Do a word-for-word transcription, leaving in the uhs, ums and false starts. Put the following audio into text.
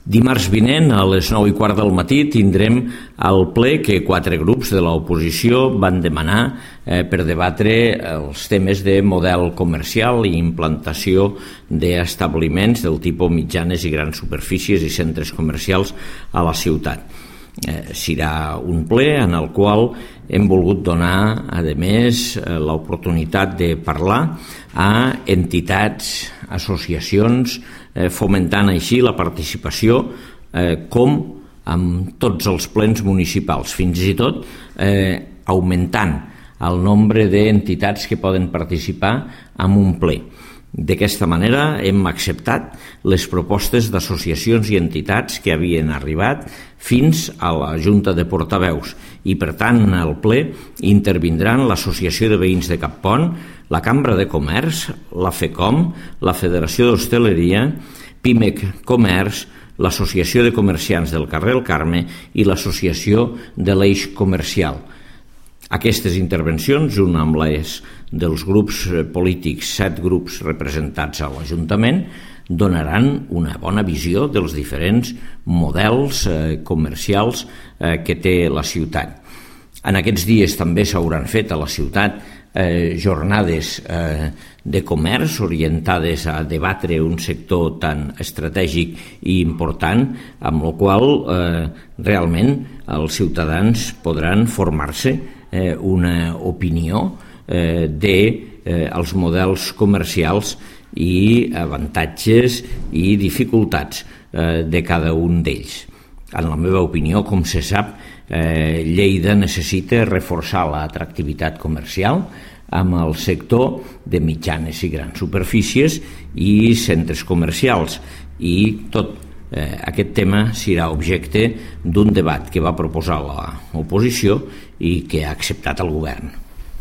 Dimarts vinent, a les nou i quart del matí, tindrem el ple que quatre grups de l'oposició van demanar eh, per debatre els temes de model comercial i implantació d'establiments del tipus mitjanes i grans superfícies i centres comercials a la ciutat. Eh, serà un ple en el qual hem volgut donar, a més, eh, l'oportunitat de parlar a entitats, associacions, eh, fomentant així la participació eh, com amb tots els plens municipals, fins i tot eh, augmentant el nombre d'entitats que poden participar en un ple. D'aquesta manera hem acceptat les propostes d'associacions i entitats que havien arribat fins a la Junta de Portaveus i, per tant, al ple intervindran l'Associació de Veïns de Cappont, la Cambra de Comerç, la FECOM, la Federació d'Hostaleria, PIMEC Comerç, l'Associació de Comerciants del carrer El Carme i l'Associació de l'Eix Comercial. Aquestes intervencions, junt amb les dels grups polítics, set grups representats a l'Ajuntament, donaran una bona visió dels diferents models eh, comercials eh, que té la ciutat. En aquests dies també s'hauran fet a la ciutat eh, jornades eh, de comerç orientades a debatre un sector tan estratègic i important, amb el qual eh, realment els ciutadans podran formar-se eh, una opinió eh, de eh, els models comercials i avantatges i dificultats eh, de cada un d'ells. En la meva opinió, com se sap, eh, Lleida necessita reforçar l'atractivitat comercial amb el sector de mitjanes i grans superfícies i centres comercials, i tot eh, aquest tema serà objecte d'un debat que va proposar l'oposició i que ha acceptat el govern.